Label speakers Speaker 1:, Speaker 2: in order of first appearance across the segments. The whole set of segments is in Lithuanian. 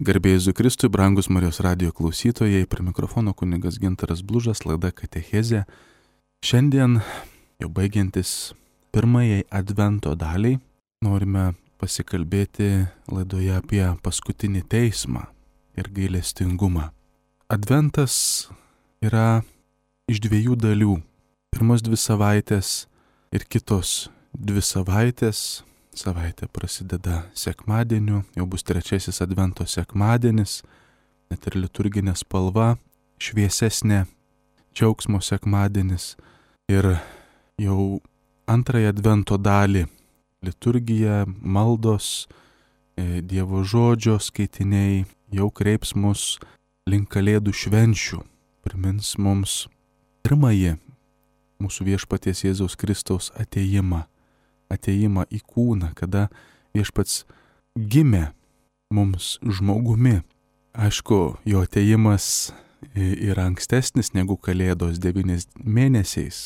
Speaker 1: Garbė Jėzui Kristui, brangus Marijos radijo klausytojai, prie mikrofono kunigas Gintaras Blužas, laida Katechezė. Šiandien, jau baigiantis pirmajai Advento daliai, norime pasikalbėti laidoje apie paskutinį teismą ir gailestingumą. Adventas yra iš dviejų dalių. Pirmos 2 savaitės ir kitos 2 savaitės. Savaitė prasideda sekmadieniu, jau bus 3 Advento sekmadienis, net ir liturginė spalva, šviesesnė, džiaugsmo sekmadienis. Ir jau 2 Advento dalį liturgija, maldos, Dievo žodžio skaitiniai jau kreips mus link Kalėdų švenčių, primins mums pirmąjį mūsų viešpaties Jėzaus Kristaus atėjimą į kūną, kada viešpats gimė mums žmogumi. Aišku, jo atėjimas yra ankstesnis negu Kalėdos 9 mėnesiais.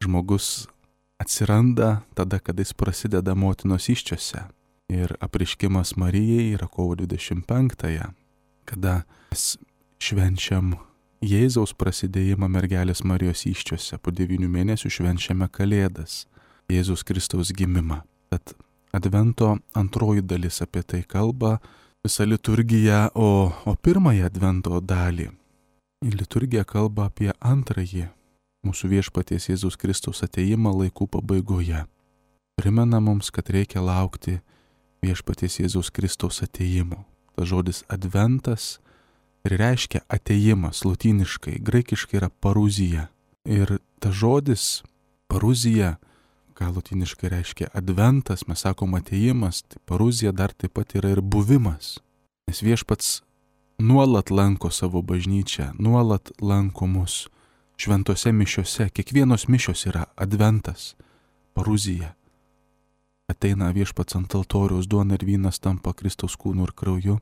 Speaker 1: Žmogus atsiranda tada, kada jis prasideda motinos įsčiose. Ir apreiškimas Marijai yra kovo 25-ąją, kada mes švenčiam Jėzaus prasidėjimą mergelės Marijos įsčiose. Po 9 mėnesių švenčiame Kalėdas, Jėzus Kristaus gimimą. Tad Advento antroji dalis apie tai kalba visa liturgija, o pirmąją Advento dalį liturgija kalba apie antrąjį mūsų viešpaties Jėzus Kristaus atėjimą laikų pabaigoje. Primena mums, kad reikia laukti viešpaties Jėzus Kristaus atėjimo. Tas žodis Adventas ir reiškia atėjimas lotyniškai, graikiškai yra paruzija. Ir tas žodis paruzija, ką lotyniškai reiškia adventas, mes sakom atėjimas, tai paruzija dar taip pat yra ir buvimas. Nes viešpats nuolat lanko savo bažnyčią, nuolat lanko mus šventose mišiose. Kiekvienos mišios yra adventas, paruzija. Ateina viešpats ant altoriaus, duona ir vynas tampa Kristaus kūnu ir krauju.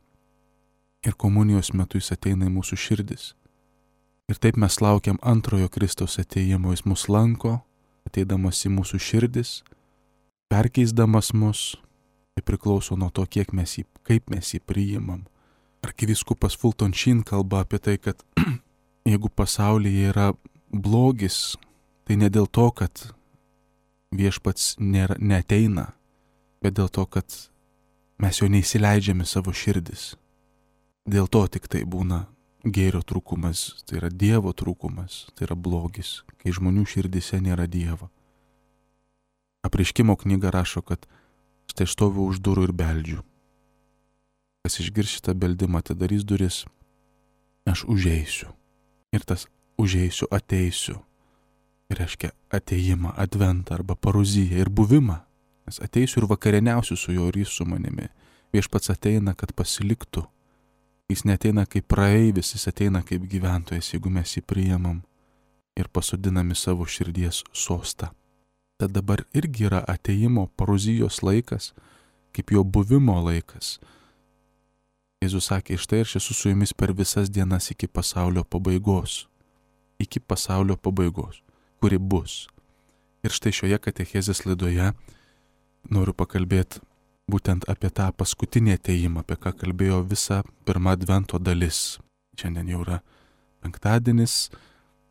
Speaker 1: Ir komunijos metu jis ateina į mūsų širdis. Ir taip mes laukiam antrojo Kristaus atėjimo, jis mus lanko, ateidamas į mūsų širdis, perkeisdamas mus, tai priklauso nuo to, kaip mes jį priimam. Arkivyskupas Fulton Sheen kalba apie tai, kad jeigu pasaulyje yra blogis, tai ne dėl to, kad viešpats neateina, bet dėl to, kad mes jo neįsileidžiame savo širdis. Dėl to tik tai būna gėrio trūkumas, tai yra Dievo trūkumas, tai yra blogis, kai žmonių širdise nėra Dievo. Apreiškimo knyga rašo, kad štai stoviu už durų ir beldžiu. Kas išgirs šitą beldimą, atidarys duris, aš užeisiu. Ir tas užeisiu, ateisiu. Tai reiškia atėjimą, adventą arba paruziją ir buvimą. Nes ateisiu ir vakarieniausiu su juo ir jis su manimi. Viešpats ateina, kad pasiliktų. Jis neateina kaip praeivis, jis ateina kaip gyventojas, jeigu mes jį priimam ir pasodinam į savo širdies sostą. Tad dabar irgi yra atėjimo paruzijos laikas, kaip jo buvimo laikas. Jėzus sakė, štai aš esu su jumis per visas dienas iki pasaulio pabaigos. Iki pasaulio pabaigos, kuri bus. Ir štai šioje katechezės laidoje noriu pakalbėti būtent apie tą paskutinį atėjimą, apie ką kalbėjo visa pirma Advento dalis. Šiandien jau yra penktadienis,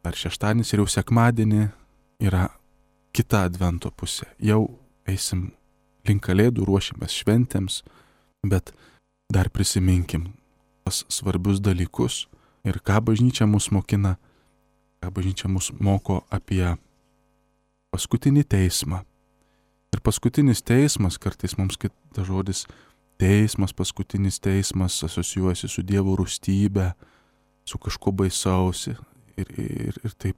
Speaker 1: ar šeštadienis ir jau sekmadienį yra kita Advento pusė. Jau eisim link Kalėdų, ruošimės šventėms, bet dar prisiminkim tas svarbius dalykus ir ką bažnyčia mus mokina, ką bažnyčia mus moko apie paskutinį teismą. Ir paskutinis teismas, kartais mums kitas žodis teismas, paskutinis teismas asocijuojasi su Dievo rūstybė, su kažkuo baisiausi. Ir taip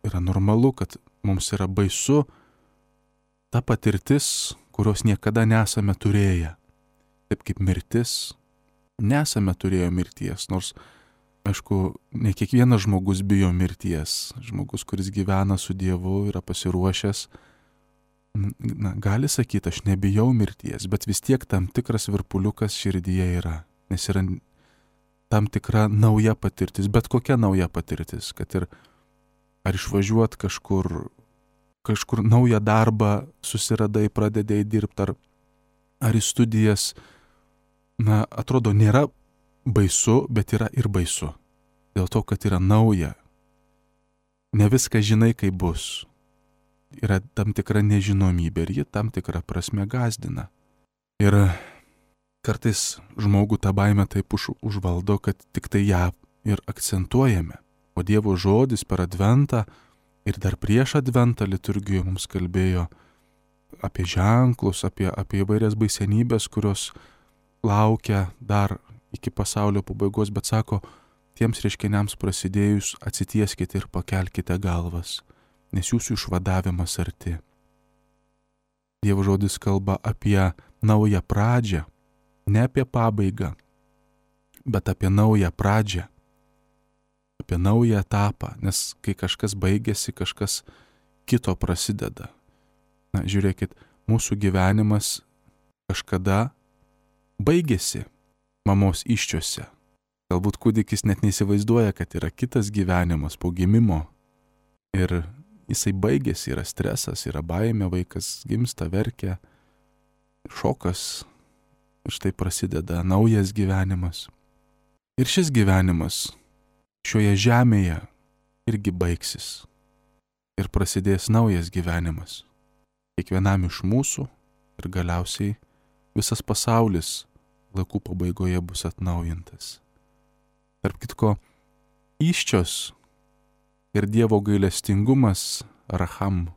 Speaker 1: yra normalu, kad mums yra baisu ta patirtis, kurios niekada nesame turėję. Taip kaip mirtis, nesame turėję mirties, nors, aišku, ne kiekvienas žmogus bijo mirties. Žmogus, kuris gyvena su Dievu, yra pasiruošęs, gali sakyti, aš nebijau mirties, bet vis tiek tam tikras virpuliukas širdyje yra, nes yra tam tikra nauja patirtis, bet kokia nauja patirtis, kad ir ar išvažiuot kažkur naują darbą susiradai, pradedai dirbti, ar į studijas, atrodo, nėra baisu, bet yra ir baisu. Dėl to, kad yra nauja. Ne viską žinai, kaip bus. Yra tam tikra nežinomybė ir ji tam tikrą prasme gąsdina. Ir kartais žmogų tą baimę taip užvaldo, kad tik tai ją ir akcentuojame. O Dievo žodis per Adventą ir dar prieš Adventą liturgijoje mums kalbėjo apie ženklus, apie įvairias baisenybės, kurios laukia dar iki pasaulio pabaigos, bet sako, tiems reiškiniams prasidėjus atsitieskite ir pakelkite galvas, nes jūsų išvadavimas arti. Dievo žodis kalba apie naują pradžią, ne apie pabaigą, bet apie naują pradžią, apie naują etapą, nes kai kažkas baigėsi, kažkas kito prasideda. Na, žiūrėkit, mūsų gyvenimas kažkada baigėsi mamos įsčiose. Galbūt kūdikis net neįsivaizduoja, kad yra kitas gyvenimas po gimimo. Ir jisai baigėsi, yra stresas, yra baimė, vaikas gimsta, verkia, šokas. Ir štai prasideda naujas gyvenimas. Ir šis gyvenimas šioje žemėje irgi baigsis. Ir prasidės naujas gyvenimas. Kiekvienam iš mūsų ir galiausiai visas pasaulis laikų pabaigoje bus atnaujintas. Tarp kitko, įsčios ir Dievo gailestingumas, racham,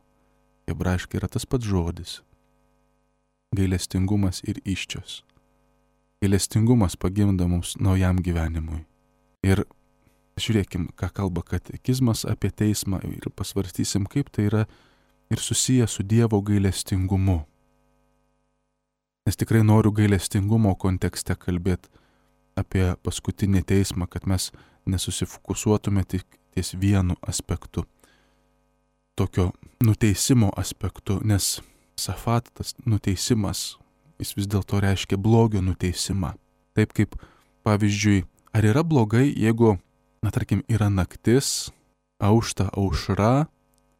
Speaker 1: hebrajiškai yra tas pats žodis. Gailestingumas ir įsčios. Gailestingumas pagimdo mums naujam gyvenimui. Ir žiūrėkim, ką kalba katekizmas apie teismą ir pasvarstysim, kaip tai yra ir susiję su Dievo gailestingumu. Nes tikrai noriu gailestingumo kontekste kalbėti apie paskutinį teismą, kad mes nesusifokusuotume tik ties vienu aspektu, tokio nuteisimo aspektu, nes safat, tas nuteisimas, jis vis dėlto reiškia blogio nuteisimą. Taip kaip, pavyzdžiui, ar yra blogai, jeigu, tarkim, yra naktis, aušta aušra,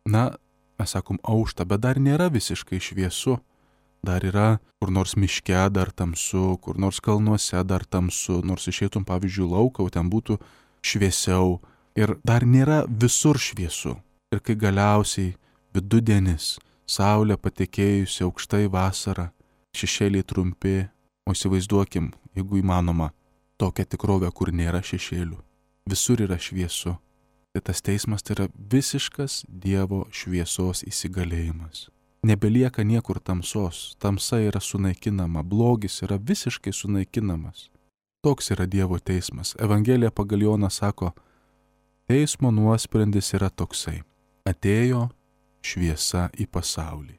Speaker 1: mes sakom aušta, bet dar nėra visiškai šviesu. Dar yra kur nors miške dar tamsu, kur nors kalnuose dar tamsu, nors išeitum, pavyzdžiui, lauką, o ten būtų šviesiau. Ir dar nėra visur šviesu. Ir kai galiausiai vidudienis, saulė patekėjusi aukštai vasarą, šešėliai trumpi, o įsivaizduokim, jeigu įmanoma, tokią tikrovę, kur nėra šešėlių. Visur yra šviesu. Tai tas teismas tai yra visiškas Dievo šviesos įsigalėjimas. Nebelieka niekur tamsos, tamsa yra sunaikinama, blogis yra visiškai sunaikinamas. Toks yra Dievo teismas. Evangelija pagal Joną sako, teismo nuosprendis yra toksai. Atėjo šviesa į pasaulį.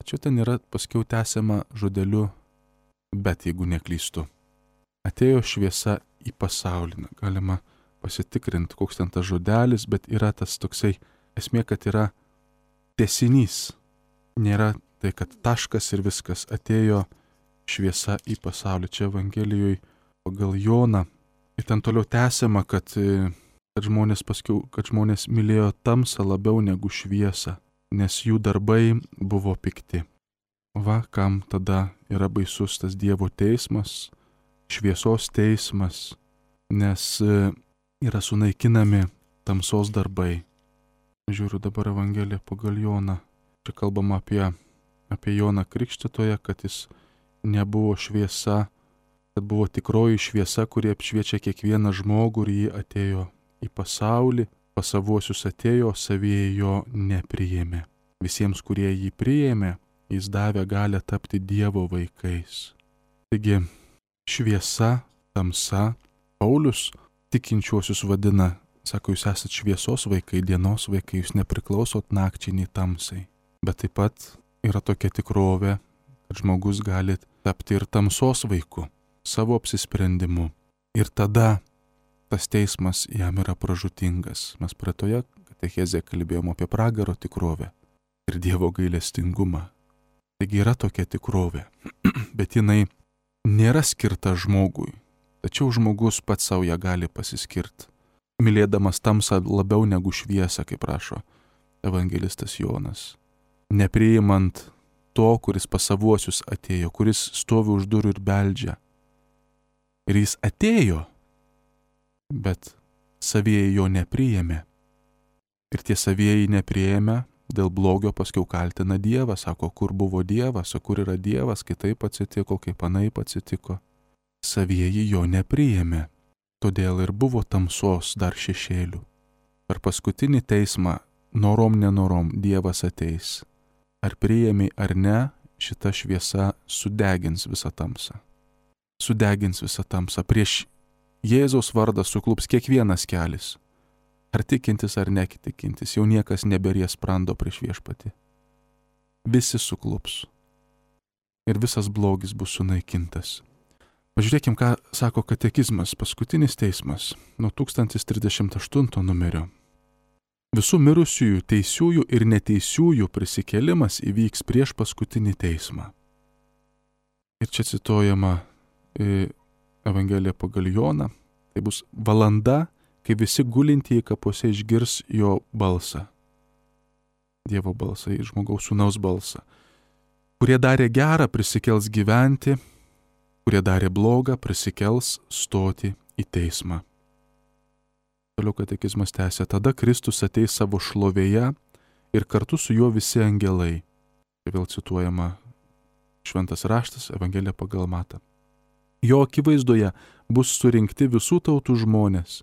Speaker 1: Tačiau ten yra paskiau tęsiama žodeliu, bet jeigu neklystu. Atėjo šviesa į pasaulį. Galima pasitikrinti, koks ten tas žodelis, bet yra tas toksai esmė, kad yra tęsinys. Nėra tai, kad taškas ir viskas, atėjo šviesa į pasaulį. Čia Evangelijoje pagal Joną. Ir ten toliau tęsiama, kad žmonės mylėjo tamsą labiau negu šviesą, nes jų darbai buvo pikti. Va, kam tada yra baisus tas Dievo teismas, šviesos teismas, nes yra sunaikinami tamsos darbai. Žiūriu dabar Evangeliją pagal Joną. Čia kalbama apie Joną Krikštytoją, kad jis nebuvo šviesa, kad buvo tikroji šviesa, kuri apšviečia kiekvieną žmogų ir jį atėjo į pasaulį, pas savuosius atėjo, savyje jo nepriėmė. Visiems, kurie jį priėmė, jis davė galią tapti Dievo vaikais. Taigi, šviesa, tamsa, Paulius tikinčiuosius vadina, sako, jūs esate šviesos vaikai, dienos vaikai, jūs nepriklausot nakčiai nei tamsai. Bet taip pat yra tokia tikrovė, kad žmogus gali tapti ir tamsos vaiku, savo apsisprendimu. Ir tada tas teismas jam yra pražūtingas. Mes praeitoje katechezėje kalbėjom apie pragaro tikrovę ir Dievo gailestingumą. Taigi yra tokia tikrovė, bet jinai nėra skirta žmogui. Tačiau žmogus pats savo ją gali pasiskirti, mylėdamas tamsą labiau negu šviesą, kaip rašo evangelistas Jonas. Nepriimant to, kuris pas savuosius atėjo, kuris stovi už durų ir beldžia. Ir jis atėjo, bet savieji jo nepriėmė. Ir tie savieji nepriėmė, dėl blogio paskiau kaltina Dievą, sako, kur buvo Dievas, o kur yra Dievas, kai taip atsitiko, kaip anaip atsitiko. Savieji jo nepriėmė, todėl ir buvo tamsos dar šešėlių. Per paskutinį teismą, norom nenorom, Dievas ateis. Ar priėmė ar ne, šita šviesa sudegins visą tamsą. Sudegins visą tamsą. Prieš Jėzaus vardą suklups kiekvienas kelis. Ar tikintis ar nekitikintis, jau niekas neberies sprando prieš Viešpatį. Visi suklups. Ir visas blogis bus sunaikintas. Pažiūrėkim, ką sako katekizmas, paskutinis teismas, nuo 1038 numerio. Visų mirusiųjų, teisiųjų ir neteisiųjų prisikėlimas įvyks prieš paskutinį teismą. Ir čia cituojama Evangelija pagal Joną. Tai bus valanda, kai visi gulintieji kapuose išgirs jo balsą. Dievo balsą, žmogaus sūnaus balsą. Kurie darė gerą, prisikels gyventi, kurie darė blogą, prisikels stoti į teismą. Toliau katekizmas tęsia, tada Kristus ateis savo šlovėje ir kartu su juo visi angelai. Tai vėl cituojama Šventas raštas, Evangelija pagal Matą. Jo akivaizdoje bus surinkti visų tautų žmonės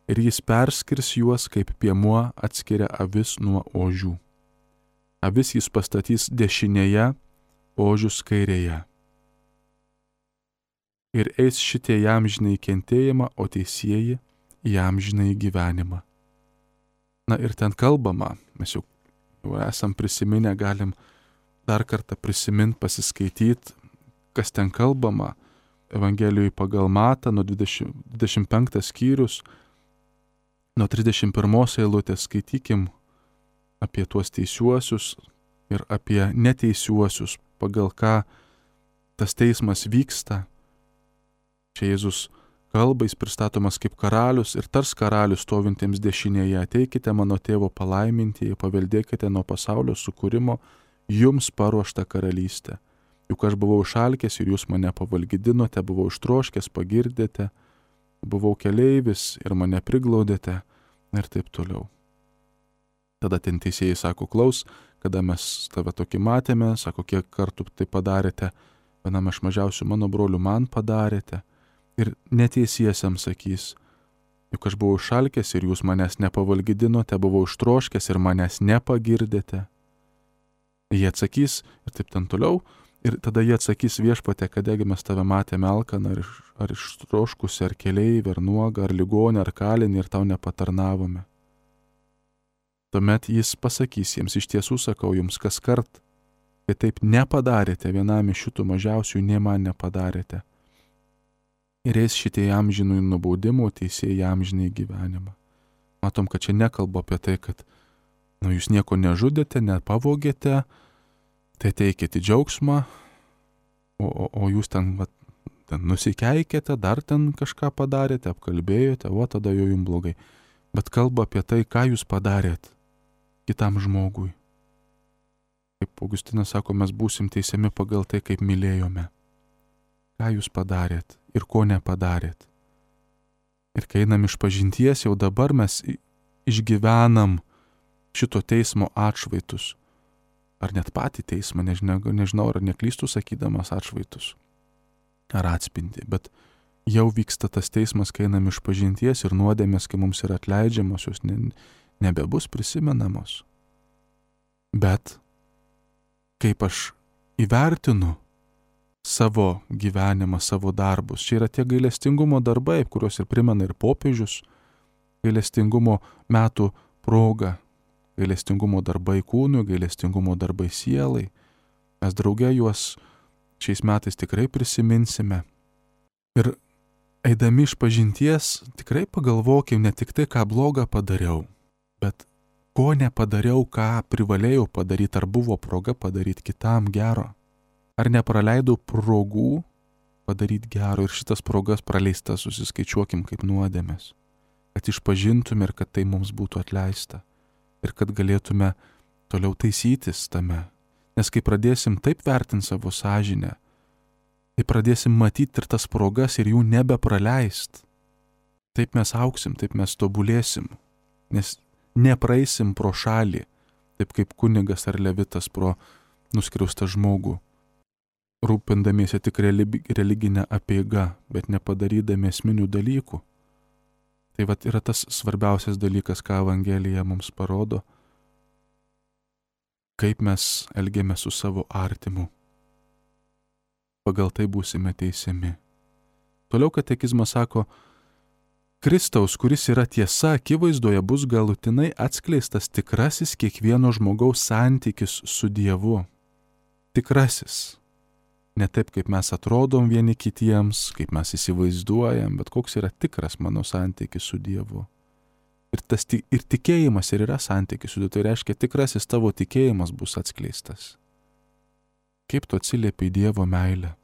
Speaker 1: ir jis perskirs juos, kaip piemuo atskiria avis nuo ožių. Avis jis pastatys dešinėje, ožius kairėje. Ir eis šitie į amžinąjį kentėjimą, o teisieji į amžinąjį gyvenimą. Na ir ten kalbama, mes jau esam prisiminę, galim dar kartą prisiminti, pasiskaityti, kas ten kalbama. Evangelijoje pagal Matą, nuo 25 skyrius, nuo 31 eilutės skaitykim apie tuos teisiuosius ir apie neteisiuosius, pagal ką tas teismas vyksta. Čia Jėzus kalba, jis pristatomas kaip karalius ir tars karalius stovintiems dešinėje, ateikite mano tėvo palaimintieji, paveldėkite nuo pasaulio sukūrimo jums paruoštą karalystę. Juk aš buvau išalkęs ir jūs mane pavalgydinote, buvau ištroškęs, pagirdėte, buvau keleivis ir mane priglaudėte ir taip toliau. Tada ten teisėjai sako, klaus, kada mes tave tokį matėme, sako, kiek kartų tai padarėte, vienam iš mažiausių mano brolių man padarėte. Ir neteisiesiam sakys, juk aš buvau išalkęs ir jūs manęs nepavalgydinote, buvau ištroškęs ir manęs nepagirdėte. Jie atsakys ir taip ten toliau. Ir tada jie atsakys, Viešpatie, kadegi mes tave matėme alkaną, ar ištroškusį, ar keleivį, ar nuogą, ar ligonį, ar kalinį ir tau nepatarnavome. Tuomet jis pasakys jiems, iš tiesų sakau jums, kas kart, kai taip nepadarėte vienam iš šitų mažiausių, nė man nepadarėte. Ir eis šitie amžinųjų nubaudimų, teisėjai amžinai gyvenimą. Matom, kad čia nekalba apie tai, kad jūs nieko nežudėte, nepavogėte, tai teikėte džiaugsmą, o jūs ten nusikeikėte, dar ten kažką padarėte, apkalbėjote, o tada jau jums blogai. Bet kalba apie tai, ką jūs padarėt kitam žmogui. Kaip Augustinas sako, mes būsim teisiami pagal tai, kaip mylėjome. Ką jūs padarėt ir ko nepadarėt. Ir kai einam iš pažinties, jau dabar mes išgyvenam šito teismo atšvaitus. Ar net patį teismą, nežinau, ar neklystų sakydamas atšvaitus, ar atspindi, bet jau vyksta tas teismas, kai einam iš pažinties ir nuodėmės, kai mums yra atleidžiamos, jos nebebus prisimenamos. Bet kaip aš įvertinu savo gyvenimą, savo darbus, čia yra tie gailestingumo darbai, kuriuos ir primena ir popiežius, gailestingumo metų proga, gailestingumo darbai kūnui, gailestingumo darbai sielai. Mes drauge juos šiais metais tikrai prisiminsime. Ir eidami iš pažinties tikrai pagalvokim ne tik tai, ką blogą padariau, bet ko nepadariau, ką privalėjau padaryti, ar buvo proga padaryti kitam gero. Ar nepraleidau progų padaryti gero ir šitas progas praleistas susiskaičiuokim kaip nuodėmės. Kad išpažintume ir kad tai mums būtų atleista. Ir kad galėtume toliau taisytis tame. Nes kai pradėsim taip vertinti savo sąžinę, tai pradėsim matyti ir tas progas ir jų nebepraleist. Taip mes auksim, taip mes tobulėsim, nes nepraeisim pro šalį, taip kaip kunigas ar levitas pro nuskriaustą žmogų, rūpindamiesi tik religinę apeigą, bet nepadarydami esminių dalykų. Tai vat yra tas svarbiausias dalykas, ką Evangelija mums parodo, kaip mes elgiame su savo artimu. Pagal tai būsime teisiami. Toliau katekizmas sako, Kristaus, kuris yra tiesa, akivaizdoje bus galutinai atskleistas tikrasis kiekvieno žmogaus santykis su Dievu. Tikrasis. Ne taip, kaip mes atrodom vieni kitiems, kaip mes įsivaizduojam, bet koks yra tikras mano santykis su Dievu. Ir tikėjimas ir yra santykis su Dievu, tai reiškia, tikrasis tavo tikėjimas bus atskleistas. Kaip tu atsiliepi į Dievo meilę?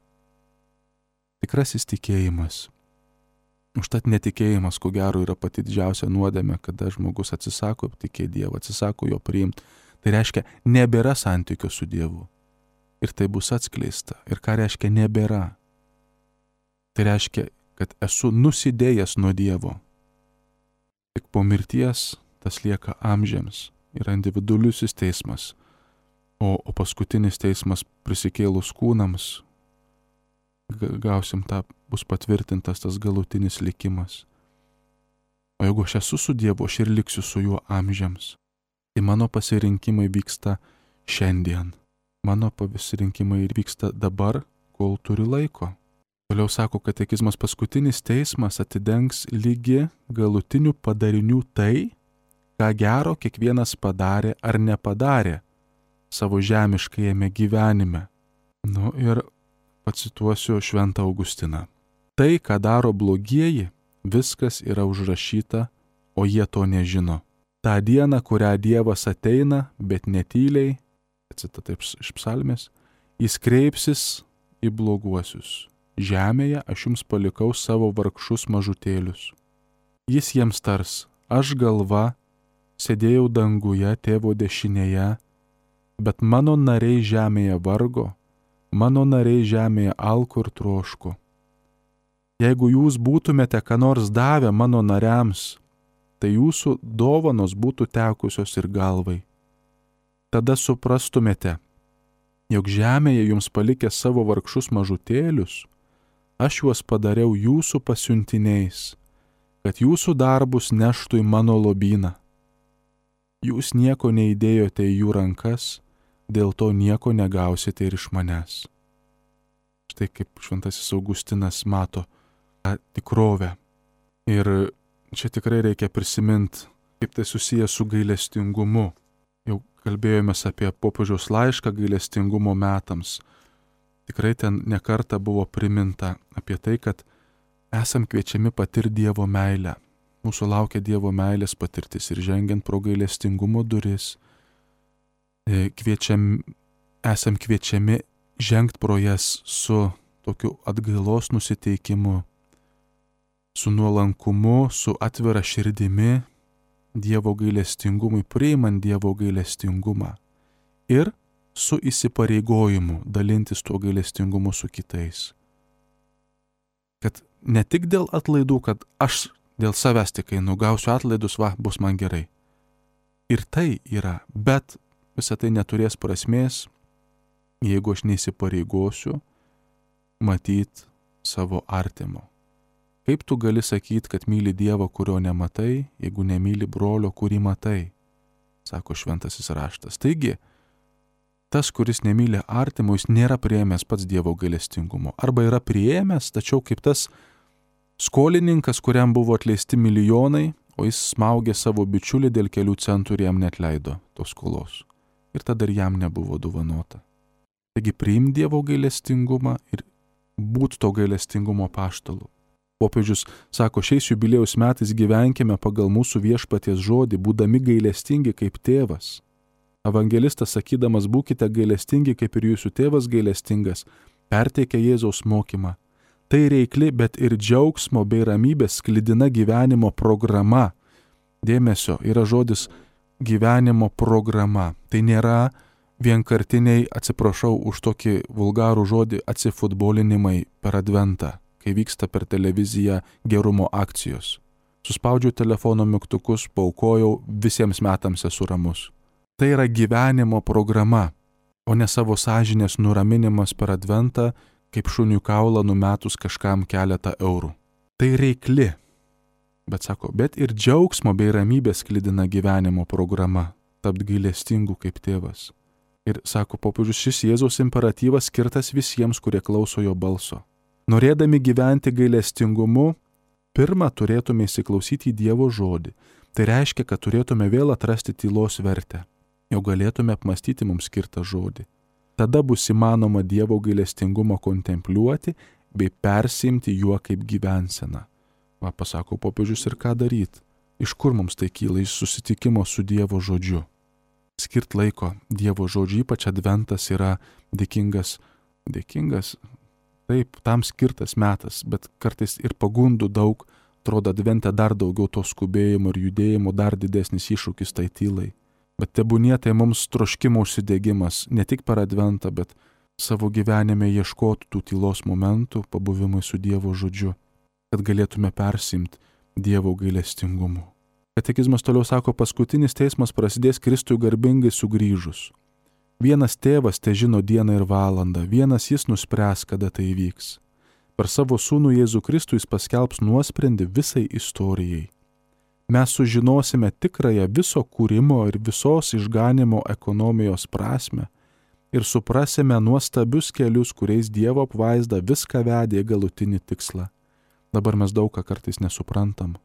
Speaker 1: Tikrasis tikėjimas. Užtat netikėjimas, ko gero, yra pati didžiausia nuodėmė, kada žmogus atsisako tikėti Dievą, atsisako jo priimti. Tai reiškia, nebėra santykio su Dievu. Ir tai bus atskleista. Ir ką reiškia nebėra? Tai reiškia, kad esu nusidėjęs nuo Dievo. Tik po mirties tas lieka amžiams. Yra individualiusis teismas. O paskutinis teismas prisikėlus kūnams. Gausim tą, bus patvirtintas tas galutinis likimas. O jeigu aš esu su Dievu, aš ir liksiu su juo amžiams. Tai mano pasirinkimai vyksta šiandien. Mano pasirinkimai ir vyksta dabar, kol turiu laiko. Toliau sako katekizmas, paskutinis teismas atidengs lygi galutinių padarinių tai, ką gero kiekvienas padarė ar nepadarė savo žemiškajame gyvenime. Ir pacituosiu Šventą Augustiną. Tai, ką daro blogieji, viskas yra užrašyta, o jie to nežino. Ta diena, kurią Dievas ateina, bet netyliai, citata iš psalmės, jis kreipsis į bloguosius. Žemėje aš jums palikau savo vargšus mažutėlius. Jis jiems tars, aš galva, sėdėjau danguje tėvo dešinėje, bet mano nariai žemėje vargo, mano nariai žemėje alko ir troško. Jeigu jūs būtumėte ką nors davę mano nariams, tai jūsų dovanos būtų tekusios ir galvai. Tada suprastumėte, jog žemėje jums palikę savo vargšus mažutėlius, aš juos padariau jūsų pasiuntiniais, kad jūsų darbus neštų į mano lobyną. Jūs nieko neįdėjote į jų rankas, dėl to nieko negausite ir iš manęs. Štai kaip Šventasis Augustinas mato tą tikrovę. Ir čia tikrai reikia prisiminti, kaip tai susijęs su gailestingumu. Jau kalbėjomės apie popiežiaus laišką gailestingumo metams. Tikrai ten nekarta buvo priminta apie tai, kad esam kviečiami patirti Dievo meilę. Mūsų laukia Dievo meilės patirtis ir žengiant pro gailestingumo duris, esam kviečiami žengti pro jas su tokiu atgailos nusiteikimu, su nuolankumu, su atvira širdimi, Dievo gailestingumui, priimant Dievo gailestingumą ir su įsipareigojimu dalintis tuo gailestingumu su kitais. Kad ne tik dėl atlaidų, kad aš dėl savęs tik einu, gausiu atlaidus, bus man gerai. Ir tai yra, bet visą tai neturės prasmės, jeigu aš neįsipareigosiu matyti savo artimo. Kaip tu gali sakyti, kad myli Dievą, kurio nematai, jeigu nemyli brolio, kurį matai, sako Šventasis raštas. Taigi, tas, kuris nemyli artimo, jis nėra priėmęs pats Dievo gailestingumo. Arba yra priėmęs, tačiau kaip tas skolininkas, kuriam buvo atleisti milijonai, o jis smaugė savo bičiulį dėl kelių centų ir jam neatleido tos skolos. Ir tada ir jam nebuvo dovanota. Taigi priim Dievo gailestingumą ir būt to gailestingumo apaštalu. Popiežius sako, šiais jubiliejaus metais gyvenkime pagal mūsų viešpaties žodį, būdami gailestingi kaip tėvas. Evangelistas sakydamas, būkite gailestingi kaip ir jūsų tėvas gailestingas, perteikia Jėzaus mokymą. Tai reikli, bet ir džiaugsmo bei ramybės sklidina gyvenimo programa. Dėmesio, yra žodis gyvenimo programa. Tai nėra vienkartiniai, atsiprašau už tokį vulgarų žodį, atsifutbolinimai per adventą, kai vyksta per televiziją gerumo akcijos. Suspaudžiu telefono mygtukus, paaukojau, visiems metams esu ramus. Tai yra gyvenimo programa, o ne savo sąžinės nuraminimas per adventą, kaip šunių kaulą numetus kažkam keletą eurų. Tai reikli. Bet sako, bet ir džiaugsmo bei ramybės sklidina gyvenimo programa, tapt gailestingu kaip tėvas. Ir sako popiežius, šis Jėzaus imperatyvas skirtas visiems, kurie klauso jo balso. Norėdami gyventi gailestingumu, pirmą turėtume įsiklausyti į Dievo žodį. Tai reiškia, kad turėtume vėl atrasti tylos vertę, jau galėtume apmastyti mums skirtą žodį. Tada bus įmanoma Dievo gailestingumą kontempliuoti bei persiimti juo kaip gyvenseną. Va, pasako popiežius, ir ką daryti? Iš kur mums tai kyla? Iš susitikimo su Dievo žodžiu. Skirt laiko Dievo žodžiu, ypač adventas yra dėkingas, taip, tam skirtas metas, bet kartais ir pagundų daug, atrodo advente dar daugiau to skubėjimo ir judėjimo, dar didesnis iššūkis tai tylai. Bet tebūnie tai mums troškimo užsidegimas, ne tik per adventą, bet savo gyvenime ieškoti tų tylos momentų, pabuvimui su Dievo žodžiu, kad galėtume persimti Dievo gailestingumu. Katekizmas toliau sako, paskutinis teismas prasidės Kristui garbingai sugrįžus. Vienas tėvas te žino dieną ir valandą, vienas jis nuspręs, kada tai įvyks. Per savo sūnų Jėzų Kristų jis paskelbs nuosprendį visai istorijai. Mes sužinosime tikrąją viso kūrimo ir visos išganimo ekonomijos prasme ir suprasime nuostabius kelius, kuriais Dievo apvaizda viską vedė į galutinį tikslą. Dabar mes daug ką kartais nesuprantam.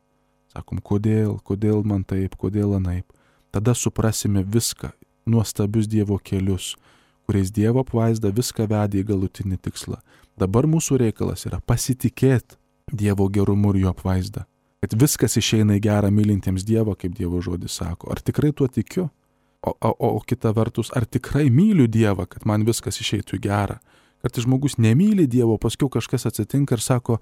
Speaker 1: Sakom, kodėl man taip, kodėl anaip. Tada suprasime viską, nuostabius Dievo kelius, kuriais Dievo apvaizda viską vedė į galutinį tikslą. Dabar mūsų reikalas yra pasitikėti Dievo gerumu ir jo apvaizda. Kad viskas išeina į gerą mylintiems Dievą, kaip Dievo žodis sako. Ar tikrai tuo tikiu? O kita vertus, ar tikrai myliu Dievą, kad man viskas išeitų į gerą? Kartais žmogus nemyli Dievo, paskui kažkas atsitinka ir sako,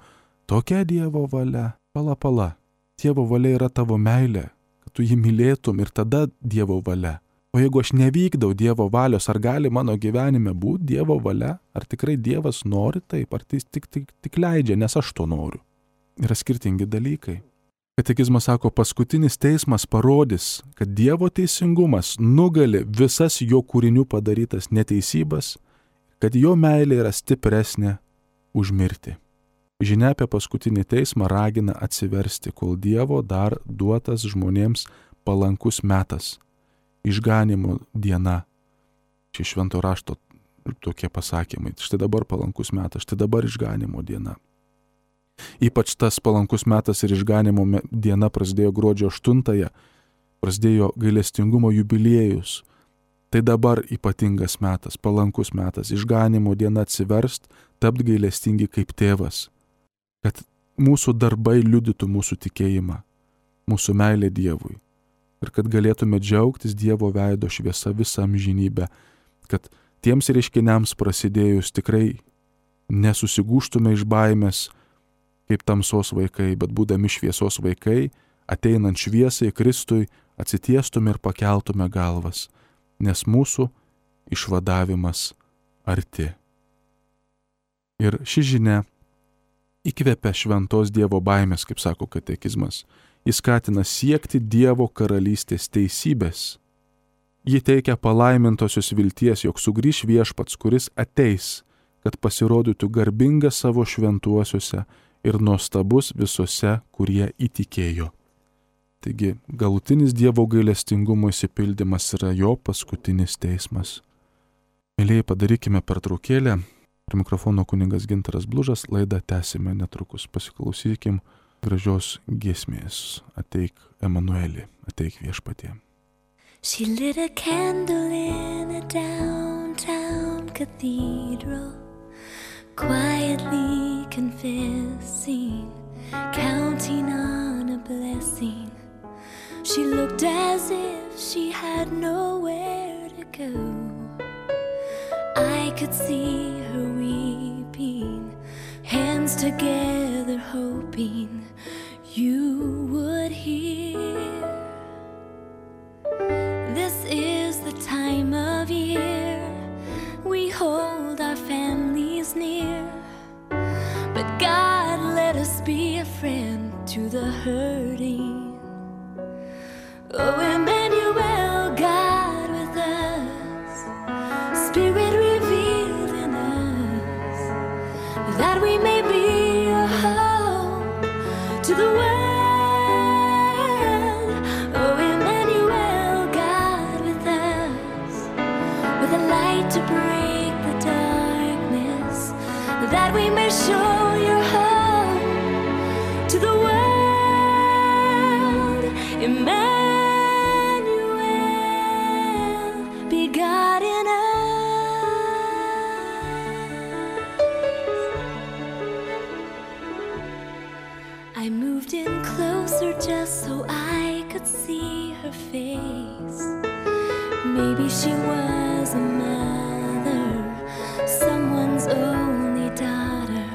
Speaker 1: tokia Dievo valia, pala. Dievo valia yra tavo meilė, kad tu jį mylėtum ir tada Dievo valia. O jeigu aš nevykdau Dievo valios, ar gali mano gyvenime būti Dievo valia? Ar tikrai Dievas nori taip, ar tai tik leidžia, nes aš to noriu? Yra skirtingi dalykai. Katekizmas sako, paskutinis teismas parodys, kad Dievo teisingumas nugali visas jo kūrinių padarytas neteisybas, kad jo meilė yra stipresnė už mirtį. Žinia apie paskutinį teismą ragina atsiversti, kol Dievo dar duotas žmonėms palankus metas. Išganimo diena. Čia švento rašto tokie pasakymai. Štai dabar palankus metas, štai dabar išganimo diena. Ypač tas palankus metas ir išganimo diena prasidėjo gruodžio 8-ąją, prasidėjo gailestingumo jubiliejus. Tai dabar ypatingas metas, palankus metas, išganimo diena atsiverst, tapt gailestingi kaip tėvas. Kad mūsų darbai liudytų mūsų tikėjimą, mūsų meilę Dievui. Ir kad galėtume džiaugtis Dievo veido šviesa visą amžinybę, kad tiems reiškiniams prasidėjus tikrai nesusigūštume iš baimės kaip tamsos vaikai, bet būdami šviesos vaikai, ateinant šviesai Kristui, atsitiestume ir pakeltume galvas, nes mūsų išvadavimas arti. Ir ši žinia įkvepia šventos Dievo baimės, kaip sako katekizmas. Jis skatina siekti Dievo karalystės teisybės. Ji teikia palaimintosios vilties, jog sugrįš viešpats, kuris ateis, kad pasirodytų garbingas savo šventuosiuose ir nuostabus visose, kurie įtikėjo. Taigi, galutinis Dievo gailestingumo išsipildymas yra jo paskutinis teismas. Mėlyjei, padarykime pertraukėlę. Prie mikrofono kunigas Gintaras Blužas, laidą tęsime netrukus. Pasiklausykim gražios giesmės. Ateik Emanueli, ateik viešpatie.
Speaker 2: She lit a candle in a downtown cathedral, quietly confessing, counting on a blessing. She looked as if she had nowhere to go. I could see her weeping, hands together hoping you would hear. This is the time of year to the hurting. Oh, Emmanuel, God with us, Spirit revealed in us, that we may be a hope to the world. Oh, Emmanuel, God with us, with a light to break the darkness, that we may show your hope to the world. Emmanuel, be God in us. I moved in closer just so I could see her face. Maybe she was a mother, someone's only daughter.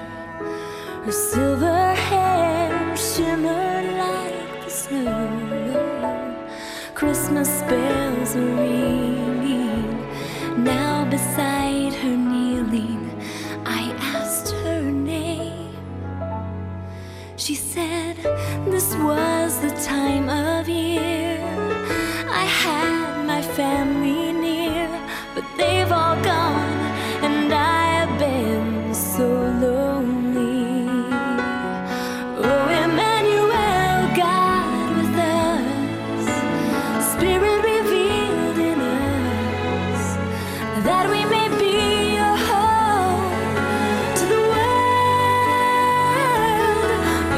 Speaker 2: Her silver hair shimmered like the snow. Christmas bells are ringing. Now beside her kneeling, I asked her name. She said this was the time of year I had my family near, but they've all gone and I have been so lonely. Oh, Emmanuel, God with us, Spirit revealed in us, that we may be a hope to the world.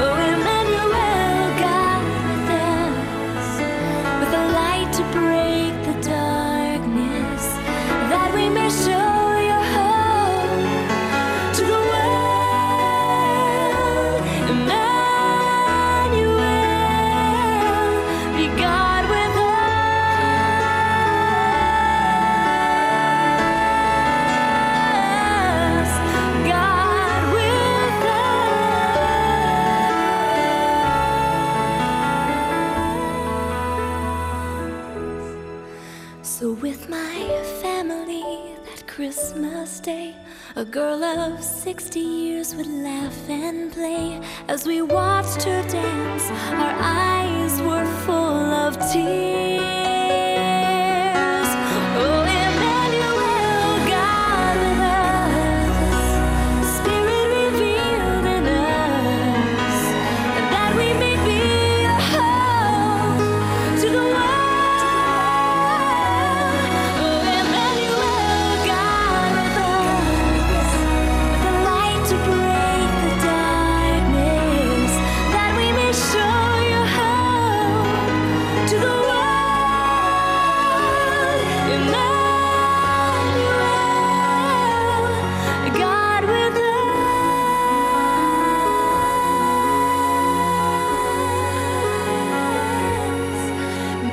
Speaker 2: Oh, Emmanuel, God with us, with a light to break the darkness, that we may show your hope to the world. Emmanuel, be God with us. God with us. So with my family that Christmas Day, a girl of 60 years would laugh and play. As we watched her dance, our eyes were full of tears. Oh, Emmanuel, God with us, Spirit revealed in us, that we may be a hope to the world. Oh, Emmanuel, God with us, with a light to break the darkness, that we may show your hope to the world. Emmanuel, God with us.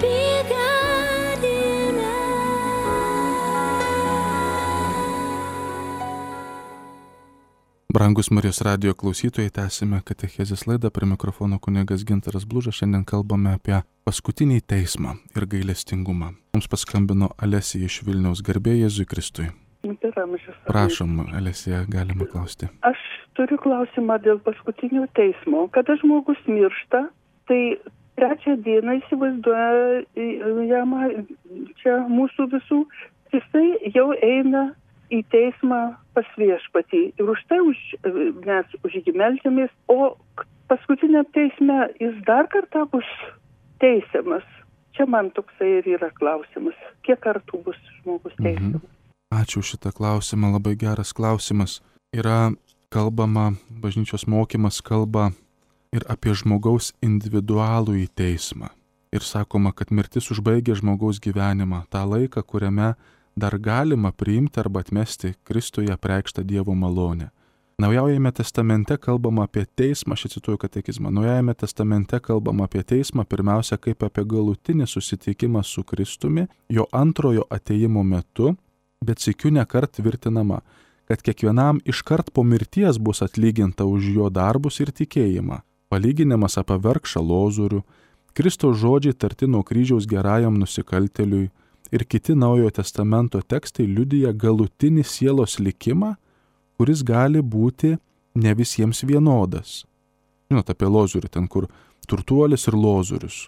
Speaker 2: Be God in us.
Speaker 1: Brangus Marijos radijo klausytojai, tęsime katechezės laidą, prie mikrofono kunigas Gintaras Blužas. Šiandien kalbame apie paskutinį teismą ir gailestingumą. Mums paskambino Alesija iš Vilniaus. Garbė Jėzui Kristui. Prašom, Alesija, galima klausti.
Speaker 3: Aš turiu klausimą dėl paskutinio teismo. Kada žmogus miršta, tai trečią dieną įsivaizduojama čia mūsų visų, jisai jau eina į teismą pas Viešpatį. Ir už tai mes už jį meldžiamės, o paskutiniam teisme jis dar kartą bus teisiamas. Čia man toksai ir yra klausimas. Kiek kartų bus žmogus teisiamas?
Speaker 1: Ačiū šitą klausimą, labai geras klausimas. Yra kalbama, bažnyčios mokymas kalba ir apie žmogaus individualų į teismą. Ir sakoma, kad mirtis užbaigia žmogaus gyvenimą, tą laiką, kuriame dar galima priimti arba atmesti Kristuje apreikštą Dievo malonę. Naujajame testamente kalbama apie teismą, aš cituoju katekizmą, Naujajame testamente kalbama apie teismą pirmiausia kaip apie galutinį susitikimą su Kristumi, jo antrojo atėjimo metu, bet sykiu nekart tvirtinama, kad kiekvienam iškart po mirties bus atlyginta už jo darbus ir tikėjimą. Palyginimas apie vargšą Lozorių, Kristaus žodžiai tarti nuo kryžiaus gerajam nusikaltėliui ir kiti Naujojo testamento tekstai liudija galutinį sielos likimą, kuris gali būti ne visiems vienodas. Žinote, apie Lozorių, ten kur turtuolis ir Lozorius.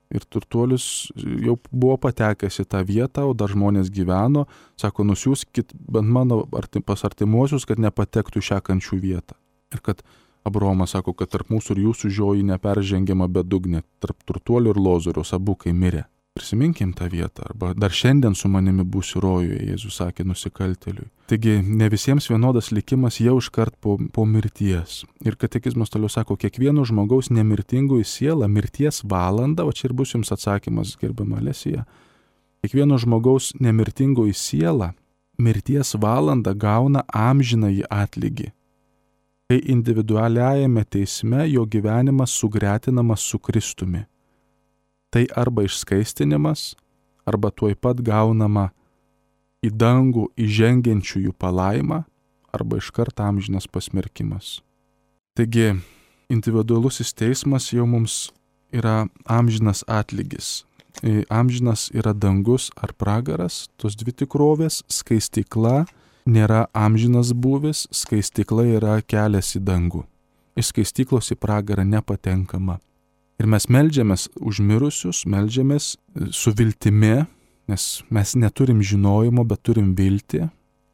Speaker 1: Ir turtuolis jau buvo patekęs į tą vietą, o dar žmonės gyveno, sako, nusiųskit bent mano pas artimuosius, kad nepatektų šią kančių vietą. Ir kad Abraomas sako, kad tarp mūsų ir jūsų žioji neperžengiama bedugnė, tarp turtuolio ir Lozoriaus abu kai mirė. Prisiminkim tą vietą, arba dar šiandien su manimi būsi rojuje, Jėzus sakė nusikaltėliui. Taigi ne visiems vienodas likimas jau iškart po mirties. Ir katekizmas toliau sako, kiekvieno žmogaus nemirtingoji siela mirties valandą, o čia ir bus jums atsakymas, gerbiama Lesija, kiekvieno žmogaus nemirtingoji siela mirties valandą gauna amžinąjį atlygį, kai individualiajame teisme jo gyvenimas sugretinamas su Kristumi. Tai arba išskaistinimas, arba tuoj pat gaunama į dangų įžengiančiųjų palaima, arba iškart amžinas pasmerkimas. Taigi, individualusis teismas jau mums yra amžinas atlygis. Amžinas yra dangus ar pragaras, tos dvi tikrovės, skaistykla nėra amžinas būvis, skaistykla yra kelias į dangų. Iš skaistyklos į pragarą nepatenkama. Ir mes meldžiamės už mirusius, meldžiamės su viltimi, nes mes neturim žinojimo, bet turim viltį,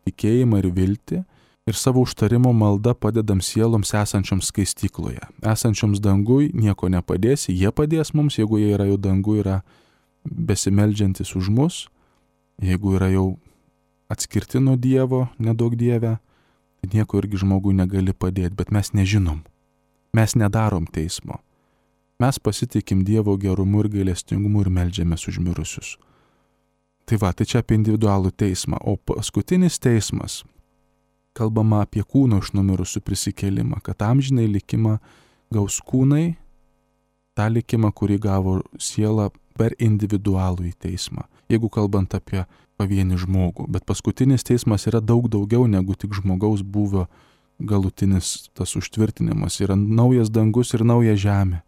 Speaker 1: tikėjimą ir viltį. Ir savo užtarimo malda padedam sieloms esančioms skaistykloje. Esančioms dangui nieko nepadėsi, jie padės mums, jeigu jie yra jau dangui, yra besimeldžiantis už mus, jeigu yra jau atskirti nuo Dievo, nedaug Dieve, tai nieko irgi žmogui negali padėti, bet mes nežinom. Mes nedarom teismo. Mes pasitikim Dievo gerumu ir gailestingumu ir meldžiamės už mirusius. Tai va, tai čia apie individualų teismą. O paskutinis teismas, kalbama apie kūno iš numirusių prisikėlimą, kad amžinai likimą gaus kūnai, tą likimą, kurį gavo siela per individualų į teismą. Jeigu kalbant apie pavienį žmogų. Bet paskutinis teismas yra daug daugiau negu tik žmogaus buvio galutinis tas užtvirtinimas. Yra naujas dangus ir nauja žemė.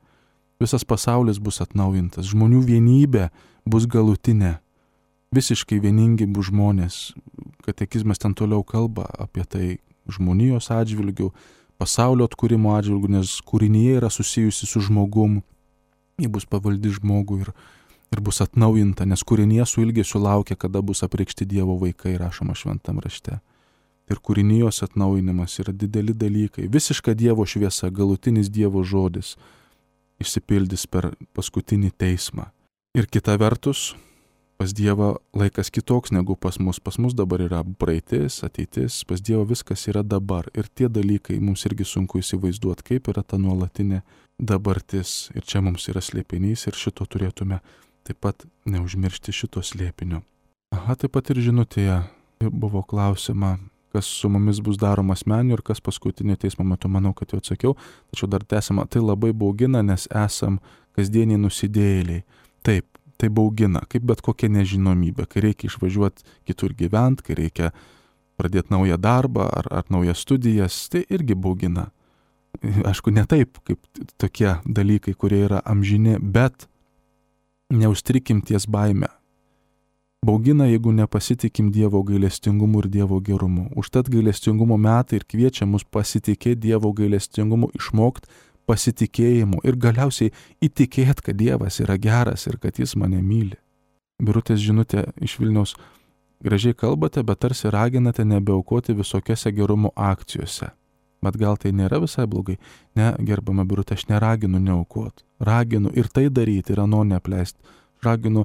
Speaker 1: Visas pasaulis bus atnaujintas. Žmonių vienybė bus galutinė. Visiškai vieningi bus žmonės. Katekizmas ten toliau kalba apie tai žmonijos atžvilgių, pasaulio atkūrimo atžvilgių, nes kūrinyje yra susijusi su žmogum. Ji bus pavaldi žmogui ir bus atnaujinta, nes kūrinyje su ilgesiu laukia, kada bus apreikšti Dievo vaikai, rašoma šventam rašte. Ir kūrinijos atnaujinimas yra dideli dalykai. Visiška Dievo šviesa, galutinis Dievo žodis išsipildys per paskutinį teismą. Ir kita vertus, pas Dievą laikas kitoks negu pas mus. Pas mus dabar yra praeitis, ateitis, pas Dievą viskas yra dabar. Ir tie dalykai mums irgi sunku įsivaizduoti, kaip yra ta nuolatinė dabartis. Ir čia mums yra slėpinys ir šito turėtume taip pat neužmiršti šito slėpinio. Taip pat ir žinutėje buvo klausima, kas su mumis bus daroma asmeniu ir kas paskutinio teismo metu, manau, kad jau atsakiau. Tačiau dar tęsiama, tai labai baugina, nes esam kasdieniai nusidėjėliai. Taip, tai baugina, kaip bet kokia nežinomybė, kai reikia išvažiuoti kitur gyventi, kai reikia pradėti naują darbą ar naujas studijas, tai irgi baugina. Aišku, ne taip, kaip tokie dalykai, kurie yra amžini, bet neužstrikim ties baime. Baugina, jeigu nepasitikim Dievo gailestingumu ir Dievo gerumu. Užtat gailestingumo metai ir kviečia mus pasitikėti Dievo gailestingumu, išmokti pasitikėjimu ir galiausiai įtikėti, kad Dievas yra geras ir kad Jis mane myli. Birutės žinutė iš Vilniaus: gražiai kalbate, bet tarsi raginate nebeaukoti visokiose gerumo akcijose. Bet gal tai nėra visai blogai? Ne, gerbama Birutė, aš neraginu neaukoti. Raginu ir tai daryti, ir ano neapleisti. Raginu,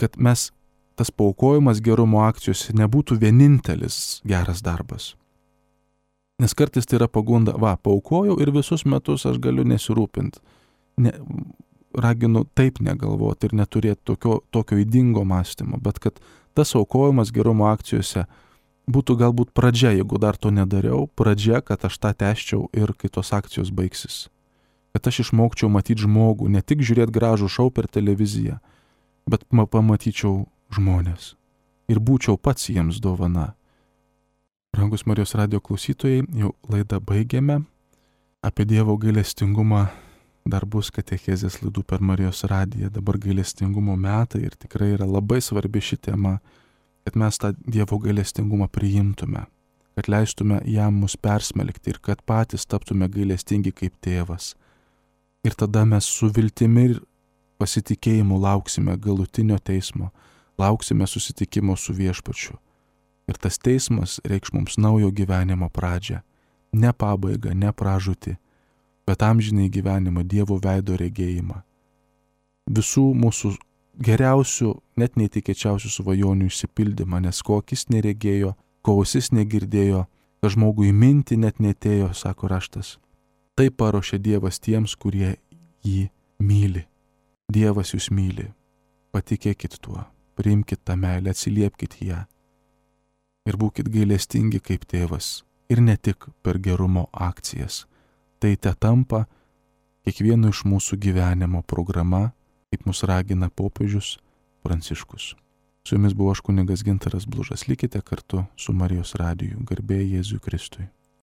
Speaker 1: kad mes tas paaukojimas gerumo akcijose nebūtų vienintelis geras darbas. Nes kartais tai yra pagunda, paaukojau ir visus metus aš galiu nesirūpinti. Raginu taip negalvoti ir neturėti tokio ydingo mąstymo, bet kad tas aukojimas gerumo akcijose būtų galbūt pradžia, jeigu dar to nedariau, pradžia, kad aš tą tęsčiau ir kai tos akcijos baigsis. Kad aš išmokčiau matyti žmogų, ne tik žiūrėti gražų šou per televiziją, bet pamatyčiau žmonės ir būčiau pats jiems dovana. Brangus Marijos radijo klausytojai, jau laidą baigėme. Apie Dievo gailestingumą dar bus katechezės laidų per Marijos radiją. Dabar gailestingumo metai ir tikrai yra labai svarbi ši tema, kad mes tą Dievo gailestingumą priimtume. kad leistume jam mus persmelkti ir kad patys taptume gailestingi kaip tėvas. Ir tada mes su viltimi ir pasitikėjimu lauksime galutinio teismo, lauksime susitikimo su Viešpačiu. Ir tas teismas reikš mums naujo gyvenimo pradžią, ne pabaigą, ne pražūtį, bet amžinai gyvenimą, Dievo veido regėjimą. Visų mūsų geriausių, net neįtikėčiausių svajonių išsipildymą, nes ko akis neregėjo, ko ausis negirdėjo, kad žmogui minti net netėjo, sako raštas. Tai paruošė Dievas tiems, kurie jį myli. Dievas jūs myli. Patikėkit tuo, priimkit tą meilę, atsiliepkit ją. Ir būkit gailestingi kaip tėvas. Ir ne tik per gerumo akcijas. Tai te tampa kiekvieno iš mūsų gyvenimo programa, kaip mus ragina popiežius Pranciškus. Su jumis buvo aš kunigas Gintaras Blužas. Likite kartu su Marijos radiju. Garbė Jėzui Kristui.